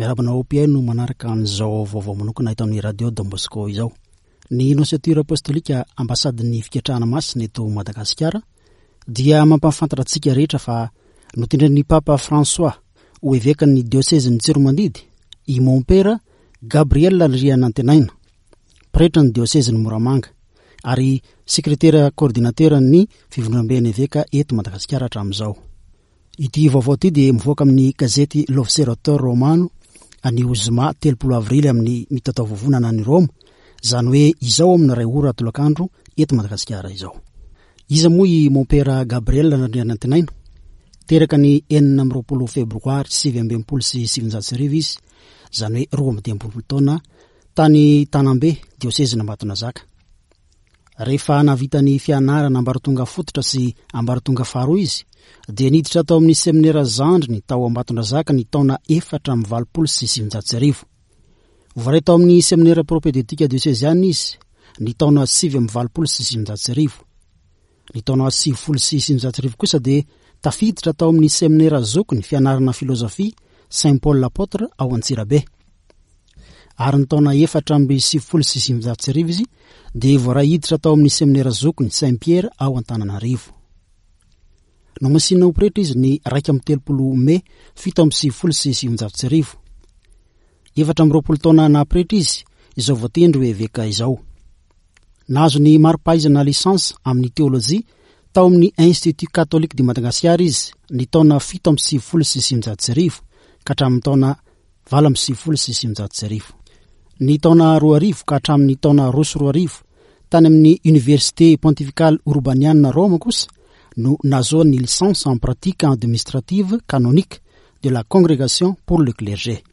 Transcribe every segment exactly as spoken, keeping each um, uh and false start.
Miarahaba anao mpihaino manaraka an'izao vaovao manokana eto amin'ny Radio Don Bosco izao. Ny Nonciature Apostolika, ambasadin'ny Fiketrahana Masina eto Madagasikara, dia mampahafantatra antsika rehetra fa notendren'ny Papa François ho evekan'ny diosezin'ny Tsiromandidy i Mompera Gabriel Andrianantenaina, pretra ny diosezin'ny Moramanga ary sekretera coordinateur ny fivondronamben'ny eveka eto Madagasikara hatramin'izao. Ity vaovao ity dia mivoaka amin'ny gazety L'Osservatore Romano anio zoma telopolo avrily amin'ny mitataovovonana any Roma, izany hoe izao amin'ny iray ora tolakandro eto Madagasikara izao. Iza moa i Mompera Gabriel Andrianantenaina? Teraka ny enina amby roapolo febroary sivy amby enimpolo sy sivinjato sy arivo izy, izany hoe roa amby dimampolo taona, tany Tanambe, diosezin'Ambatonazaka. Rehefa nahavita ny fianarana ambaratonga fototra sy ambaratonga faharoa izy, dia niditra tao amin'ny seminera zandriny tao Ambatondrazaka ny taona efatra amby valopolo sy sivinjato sy arivo. Voaray tao amin'ny seminera propédeutique dioseziana izy ny taona sivy amby valopolo sy sivinjato sy arivo. Ny taona sivifolo sy sivinjato sy arivo kosa dia tafiditra tao amin'ny seminera zokiny fianarana filozofia Saint Paul l'Apôtre ao Antsirabe. Ary ny taona efatra amby sivifolo sy sivinjato sy arivo izy dia voaray hiditra tao amin'ny seminera zokiny Saint Pierre ao Antananarivo. Nomasinina ho pretra izy ny iraika amby telopolo mey fito amby sivifolo sy sivinjato sy arivo. Efatra amby roapolo taona naha-pretra izy izao voatendry ho eveka izao. Nahazo ny mari-pahaizana licence amin'ny teolojia tao amin'ny Institut Catholique de Madagascar izy ny taona fito amby sivifolo sy sivinjato sy arivo ka hatramin'ny taona valo amby sivifolo sy sivinjato sy arivo. Ny taona roa arivo ka hatramin'ny taona roa sy roa arivo tany amin'ny Université Pontificale Urbaniana Roma kosa no nahazoany ny licence en pratique administrative canonique de la Congrégation pour le clergé.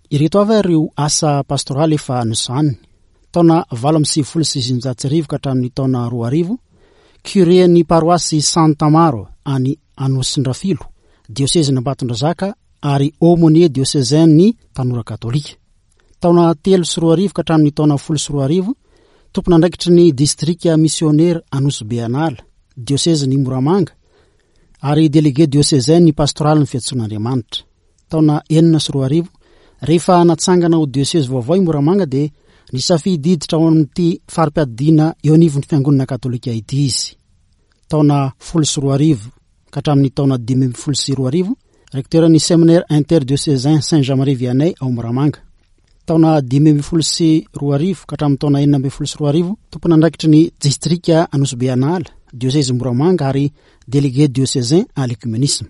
Ireto avy ireo asa pastoraly efa nosahaniny. Taona valo amby sivifolo sy sivinjato sy arivo ka hatramin'ny taona roa arivo, curé ny paroasy Santa Maro any Anosindrafilo, diosezin'Ambatondrazaka ary aumônier diocésain ny tanora katolika. Taona telo sy roa arivo ka hatramin'ny taona folo sy roa arivo, tompon'andraikitry ny distrika missionnaire Anosibe An'Ala, diosezin'ny Moramanga, ary délégué diocésain ny pastoraly ny fiantsoan'Andriamanitra. Taona enina sy roa arivo, rehefa natsangana ho diocèse vaovao i Moramanga, dia nisafidy hiditra ao amin'ity fari-piadidiana eo anivon'ny fiangonana katolika ity izy. Taona folo sy roa arivo ka hatramin'ny taona dimy amby folo sy roa arivo, recteur ny séminaire interdiocésain Saint Jean-Marie Vianney ao Moramanga. Taona dimy amby folo sy roa arivo ka hatramin'ny taona enina amby folo sy roa arivo, tompon'andraikitry ny distrika Anosibe An'Ala, diocèse Moramanga ary délégué diocésain à l'œcuménisme.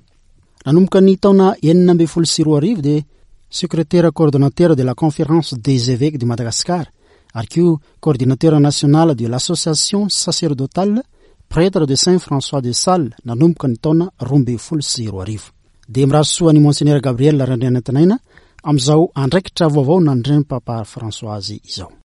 Nanomboka ny taona enina amby folo sy roa arivo dia secrétaire coordonnateur de la Conférence des évêques de Madagascar ary koa coordinateur national de l'Association sacerdotale prêtre de Saint François de Sales nanomboka ny taona roa amby folo sy roa arivo. Dia mirary soa ny Monseigneur Gabriel Randrianantenaina amin'izao andraikitra vaovao nandreny Papa François azy izao.